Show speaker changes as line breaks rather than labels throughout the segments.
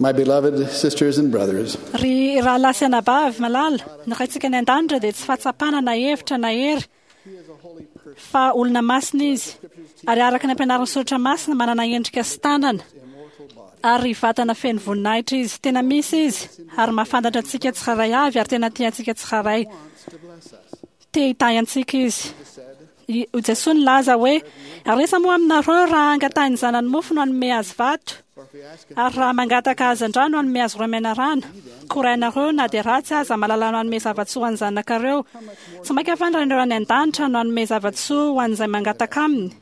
My beloved sisters and brothers,
Ry rahalahy sy anabavy malala, ny Raintsika any An-danitra dia tsy fahatsapana na hevitra na hery fa olona masina Izy, ary araka ny ampianarin'ny Soratra Masina, manana endrika sy tanana ary vatana feno voninahitra Izy. Tena misy Izy, ary mahafantatra antsika tsirairay avy, ary tena tia antsika tsirairay. Te hitahy antsika Izy. I Jesoa nilaza hoe, Ary iza moa aminareo raha angatahin'ny zanany mofo no hanome azy vato? Ary raha mangataka hazandrano hanome azy roimenarana? Koa rainareo, na dia ratsy aza, mahalala manome zava-tsoa ho an'ny zanakareo. Tsy mainka va ny Rainareo any an-danitra no hanome zava-tsoa ho an'izay mangataka aminy?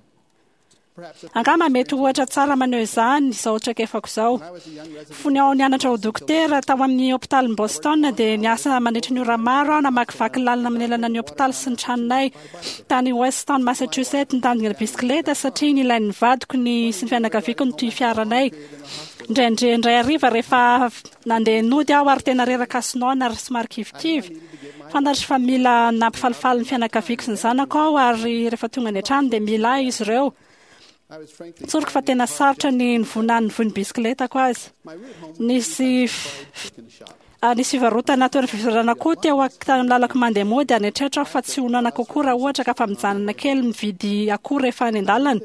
Angamba mety ho ohatra tsara maneho izany izao traikefako izao. Fony aho nianatra ho dokotera tao amin'ny hopitalin'i Boston dia niasa mandritra ny ora maro aho namakivaky lalana manelana ny hopitaly sy ny tranonay tany Weston, Massachusetts nitandrina bisikileta satria nilain'ny vadiko ny sy ny fianakaviako ny toy fiaranay. Indraindray indray hariva rehefa nandeha nody aho ary tena reraka sy noana ary somary kivikivy. Fantatro fa mila nampifalifaly ny fianakaviako sy ny zanako aho ary rehefa tonga any an-trano dia mila ahy izy ireo. Tsoriko fa tena sarotra ny nivonan'ny voin'ny bisikiletako azy. Nisy nisy fivarotana toerana fivarotana koa teo amin'ny lalako mandeha mody ary nieritreritra aho fa tsy ho noana kokoa raha ohatra ka afa-mijanona kely mividy akoho rehefa any an-dalana.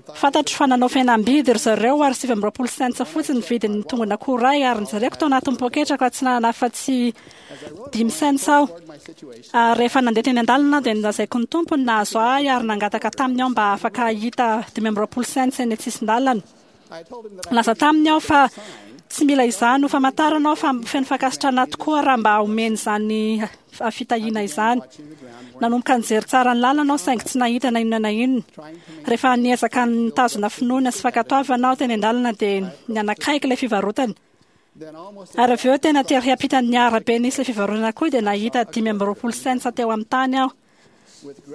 Fantatro fa nanao fihenam-bidy ry zareo ary 29 cents fotsiny ny vidin'ny tongon'akoho iray ary nojereko tao anatin'ny poketrako fa tsy nanana afa-tsy dimy cents aho. Ary rehefa nandeha teny an-dalana aho dia nolazaiko ny Tompo ny nahazo ahy ary nangataka taminy aho mba afaka hahita 25 cents eny an-tsisin-dalana. Nilaza taminy aho fa tsy mila izany ho famantarana aho fa feno fankasitrahana tokoa raha mba omeny izany fitahiana izany. Nanomboka nijery tsara ny lalana aho saingy tsy nahita na inona na inona. Rehefa niezaka nitazona finoana sy fankatoavana aho teny an-dalana dia nianakaiky ilay fivarotana. Ary avy eo tena tery ampitan'ny arabe nisy ilay fivarotana koa dia nahita 25 cents teo amin'ny tany aho.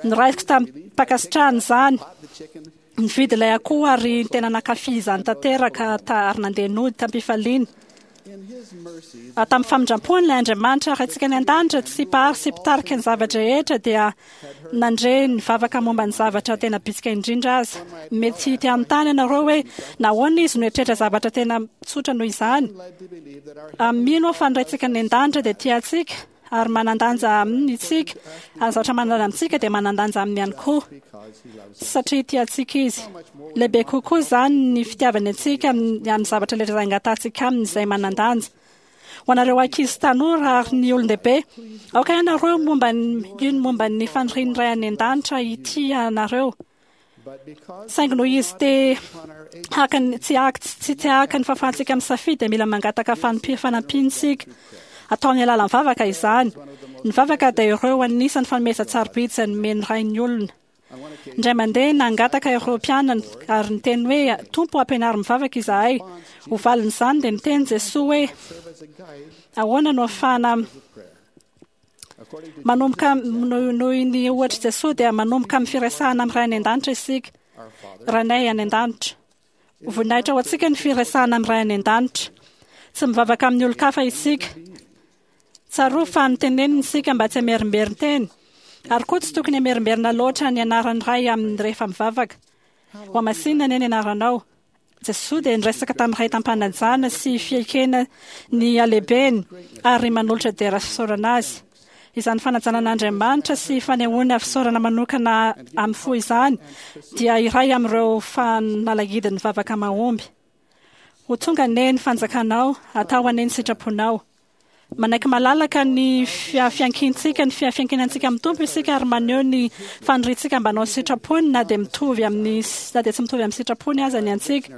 Noraisiko tamim-pankasitrahana izany. Nividy ilay akoho ary tena nankafy izany tanteraka ary nandeha nody tamim-pifaliana. Tamin'ny famindram-pony ilay Andriamanitra Raintsika any an-danitra sy Mpahary sy Mpitarika ny zava-drehetra dia nandre ny vavaka momba ny zavatra tena bitsika indrindra aza. Mety te hanontany ianareo hoe nahoana izy no hieritreritra zavatra tena tsotra noho izany. Mino aho fa ny Raintsika any an-danitra dia tia antsika ary manan-danja aminy isika, ary ny zavatra manan-danja amintsika dia manan-danja aminy ihany koa, satria tia antsika izy. Lehibe kokoa izany ny fitiavany antsika amin'ny zavatra rehetra izay angatahantsika aminy izay manan-danja. Ho anareo ankizy sy tanora ary ny olon-dehibe, aoka ianareo momba ny hino momba ny fanirian'ny Ray any An-danitra hitia anareo. Saingy noho izy te haka ny tsy haka tsy te haka ny fahafahantsika misafidy dia mila mangataka fanampiana isika. Atao amin'ny alalan'ny vavaka izany. Ny vavaka dia ireo anisan'ny fanomezan-tsarobidy izay nomen'ny Ray ny olona. Indray mandeha nangataka ireo mpianany ary niteny hoe, Tompo ampianaro mivavaka izahay. Ho valin'izany dia niteny Jesoa hoe, Ahoana no ahafahana Manomboka noho ny ohatr'i Jesoa dia manomboka amin'ny firesahana amin'ny Ray any An-danitra isika. Rainay any An-danitra. Ho voninahitra ho antsika ny firesahana amin'ny Ray any An-danitra. Tsy mivavaka amin'ny olon-kafa isika. Tsarovy fa noteneniny isika mba tsy hamerimberin-teny. Ary koa tsy tokony hamerimberina loatra ny anaran'ny Ray amin'ny rehefa mivavaka. Hohamasinina anie ny anaranao. Jesoa dia niresaka tamin'ny Ray tam-panajana sy fiekena ny halehibeny ary manolotra dera sy fisaorana Azy. Izany fanajana an'Andriamanitra sy fanehoana fisaorana manokana amin'ny fo izany dia iray amin'ireo fanalahidin'ny vavaka mahomby. Ho tonga anie ny fanjakanao, atao anie ny sitraponao. Manaiky malalaka ny fiankintsika, ny fiankinantsika amin'ny Tompo isika ary maneho ny faniriantsika mba hanao ny sitrapony na dia mitovy amin'ny na dia tsy mitovy amin'ny sitrapony aza ny antsika.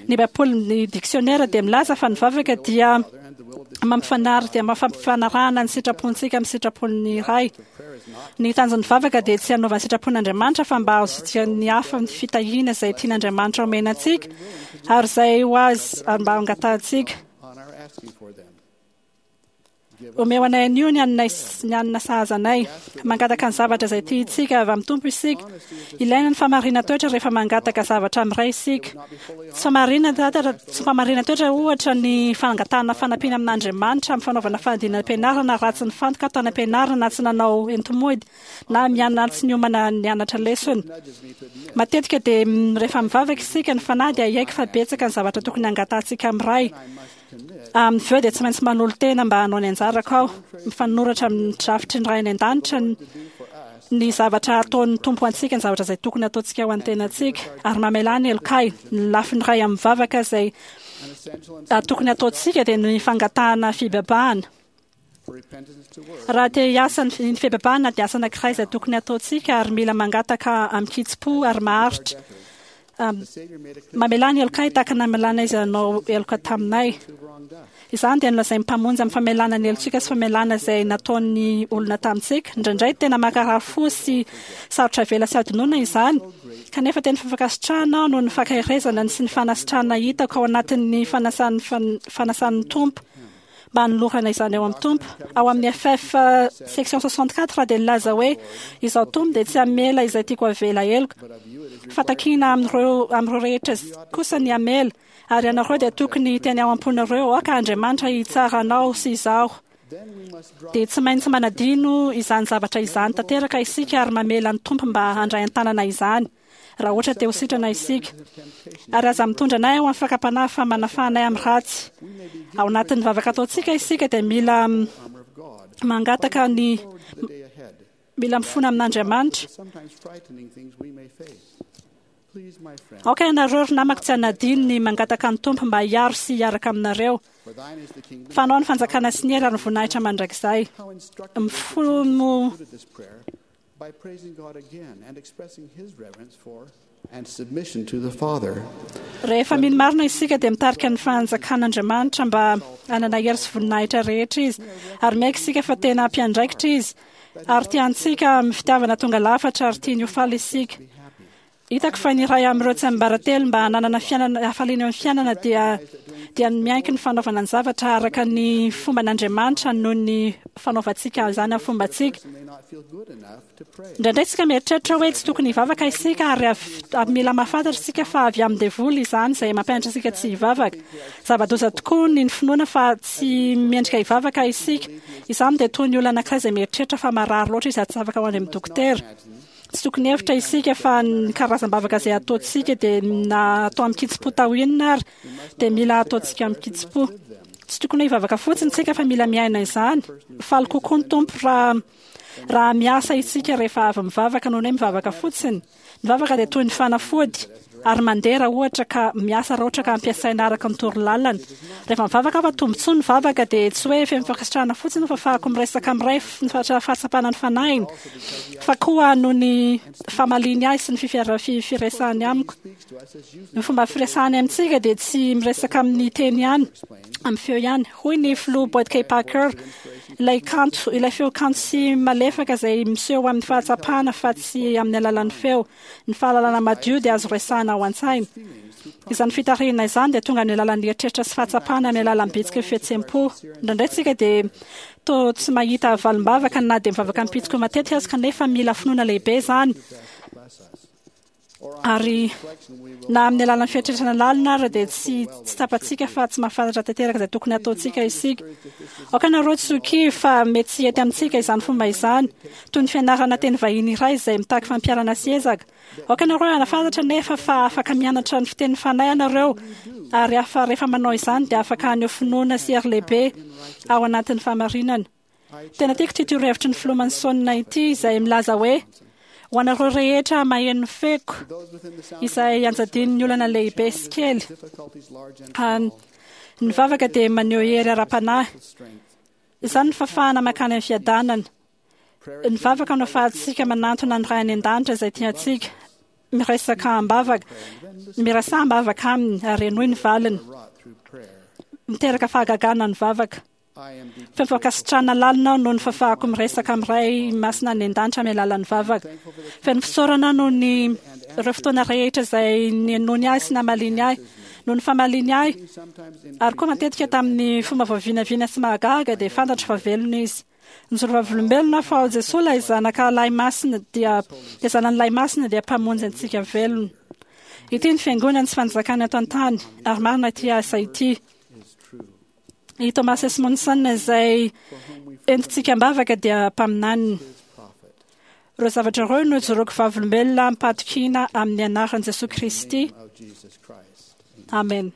Ny Baiboly, ny diksionera dia milaza fa ny vavaka dia mampifanary dia mampifanarahana ny sitrapontsika amin'ny sitrapon'ny Ray. Ny tanjon'ny vavaka dia tsy hanaovana sitrapon'Andriamanitra fa mba hahazoan'ny hafa ny fitahiana izay tian'Andriamanitra omena antsika ary izay ho azy ary mba hangatahantsika. Omeo anay anio ny haninay ny hanina sahaza anay. Mangataka ny zavatra izay tiantsika avy amin'ny Tompo isika. Ilaina ny fahamarinan-toetra rehefa mangataka zavatra amin'ny Ray isika. Tsy fahamarinan-toetra tsy fahamarinan-toetra ohatra ny fangatahana fanampiana amin'Andriamanitra amin'ny fanaovana fanadinam-pianarana raha tsy nifantoka tany am-pianarana na tsy nanao enti-mody na mianatra tsy niomana nianatra lesona. Matetika dia rehefa mivavaka isika, ny Fanahy dia hiaiky fa betsaka ny zavatra tokony hangatahantsika amin'ny Ray. Amin'ny avy eo dia tsy maintsy manolo-tena mba hanao ny anjarako aho. Mifanoratra amin'ny drafitry ny Ray any An-danitra ny zavatra ataon'ny Tompo ho antsika, ny zavatra izay tokony hataontsika ho an'ny tenantsika. Ary mamelà ny helokay. Ny lafiny iray amin'ny vavaka izay tokony hataontsika dia ny fangatahana fibebahana. Raha te hiasa ny fibebahana dia asa anankiray izay tokony hataontsika ary mila mangataka amin-kitsim-po ary maharitra. Mamelà ny helokay tahaka ny namelàna izay nanao heloka taminay. Izany dia nolazain'ny Mpamonjy amin'ny famelàna ny helotsika sy famelàna izay nataon'ny olona tamintsika. Indraindray tena mankarary fo sy sarotra avela sy adinoina izany, kanefa tena fankasitrahana aho noho ny fankaherezana sy ny fanasitranana hitako ao anatin'ny fanasan'ny Tompo. mba hanolorana izany ao amin'ny Tompo. Ao amin'ny FF section 64 dia nilaza hoe, Izaho Tompo dia tsy hamela izay tiako havela heloka, fa takiana amin'ireo amin'ireo rehetra kosa ny hamela, ary ianareo dia tokony hiteny ao am-ponareo, Aoka Andriamanitra hitsara anao sy izaho. Dia tsy maintsy manadino izany zavatra izany tanteraka isika ary mamela ny Tompo mba handray an-tanana izany. raha ohatra te ho sitrana isika. Ary aza mitondra anay ao amin'ny fakam-panahy fa manafaha anay amin'ny ratsy. Ao anatin'ny vavaka ataontsika isika dia mila mangataka ny mila mifona amin'Andriamanitra. Aoka ianareo ry namako tsy hanadino ny mangataka ny Tompo mba hiaro sy hiaraka aminareo. Fa anao ny fanjakana sy ny hery ary ny voninahitra mandrakizay. Mifono
By praising God again and expressing his reverence for and submission to the Father.
Rehefa mino marina isika dia mitarika ny fanjakan'Andriamanitra mba hanana hery sy voninahitra rehetra izy. Ary miaiky isika fa tena mpiandraikitra izy. Ary tia antsika amin'ny fitiavana tonga lafatra ary tiany ho faly isika. Hitako fa ny iray amin'ireo tsiambaratelo mba hananana fiainana hafaliana eo amin'ny fiainana dia dia ny miaiky ny fanaovana ny zavatra araka ny fomban'Andriamanitra noho ny fanaovantsika izany amin'ny fombantsika. Indraindray isika mieritreritra hoe tsy tokony hivavaka isika ary avy mila mahafantatra isika fa avy amin'ny devoly izany izay mampianatra antsika tsy hivavaka. Zava-doza tokoa ny finoana fa tsy mendrika hivavaka isika. Izany dia toy ny olona anankiray izay mieritreritra fa marary loatra izy ary tsy afaka ho any amin'ny dokotera. Tsy tokony hevitra isika fa ny karazam-bavaka izay ataontsika dia na atao amin-kitsim-po tao inona ary dia mila ataontsika amin-kitsim-po. Tsy tokony hoe hivavaka fotsiny isika fa mila miaina izany. Faly kokoa ny Tompo raha raha miasa isika rehefa avy mivavaka noho ny hoe mivavaka fotsiny. Ny vavaka dia toy ny fanafody ary mandeha raha ohatra ka miasa raha ohatra ka ampiasaina araka ny torolalana. Rehefa mivavaka aho fa tombontsoa ny vavaka dia tsy hoe feno fankasitrahana fotsiny fa afahako miresaka amin'ny Ray ny fahatsapana ny fanahiny fa koa noho ny famaliany ahy sy ny firesahany amiko. Ny fomba firesahany amintsika dia tsy miresaka amin'ny teny ihany, amin'ny feo ihany. Hoy ny filoha Boyd K. Packer, Ilay kanto, ilay feo kanto sy malefaka izay miseho amin'ny fahatsapana fa tsy amin'ny alalan'ny feo. Ny fahalalana madio dia azo resahina ao an-tsaina. Izany fitarihina izany dia tonga amin'ny alalan'ny eritreritra sy fahatsapana amin'ny alalan'ny bitsiky ny fihetseham-po. Indraindray isika dia toa tsy mahita valim-bavaka na dia mivavaka am-pitsiko matetika aza kanefa mila finoana lehibe izany. Ary na amin'ny alalan'ny fieritreretana lalina ary dia tsy tsy tsapantsika fa tsy mahafantatra tanteraka izay tokony hataontsika isika. Aoka ianareo tsy ho kivy fa mety tsy hety amintsika izany fomba izany, toy ny fianarana teny vahiny iray izay mitaky fampiharana sy ezaka. Aoka ianareo hanafantatra anefa fa afaka mianatra ny fitenin'ny fanahy ianareo, ary afa rehefa manao izany dia afaka haneho finoana sy hery lehibe ao anatin'ny fahamarinana. Tena tiako ity torohevitry ny Filoha Manson ity izay milaza hoe, Ho anareo rehetra maheno ny feoko, izay anjadian'ny olana lehibe sy kely, ny vavaka dia maneho hery ara-panahy. Izany no fahafahana mankany amin'ny fiadanana. Ny vavaka no ahafahantsika manantona ny Ray any An-danitra izay tia antsika. Miresaka am-bavaka, miresaha am-bavaka Aminy ary henoy ny valiny. Miteraka fahagagana ny vavaka. Feno fankasitrahana lalina aho noho ny fahafahako miresaka amin'ny Ray Masina any An-danitra amin'ny alalan'ny vavaka. Feno fisaorana aho noho ny ireo fotoana rehetra izay nihainoany ahy sy namaliany ahy. Noho ny famaliany ahy, ary koa matetika tamin'ny fomba voavinavina sy mahagaga, dia fantatro fa velona Izy. Nijoro vavolombelona aho fa ao Jesoa ilay Zanaka Lahy Masina dia ilay Zanany Lahy Masina dia Mpamonjy antsika velona. Ity ny Fiangonany sy Fanjakany eto an-tany, ary marina ity asa ity. I Thomas S. Monson izay entintsika am-bavaka dia mpaminaniny. Ireo zavatra ireo no ijoroako vavolombelona amim-pahatokiana amin'ny anaran'i Jesoa Kristy. Amen.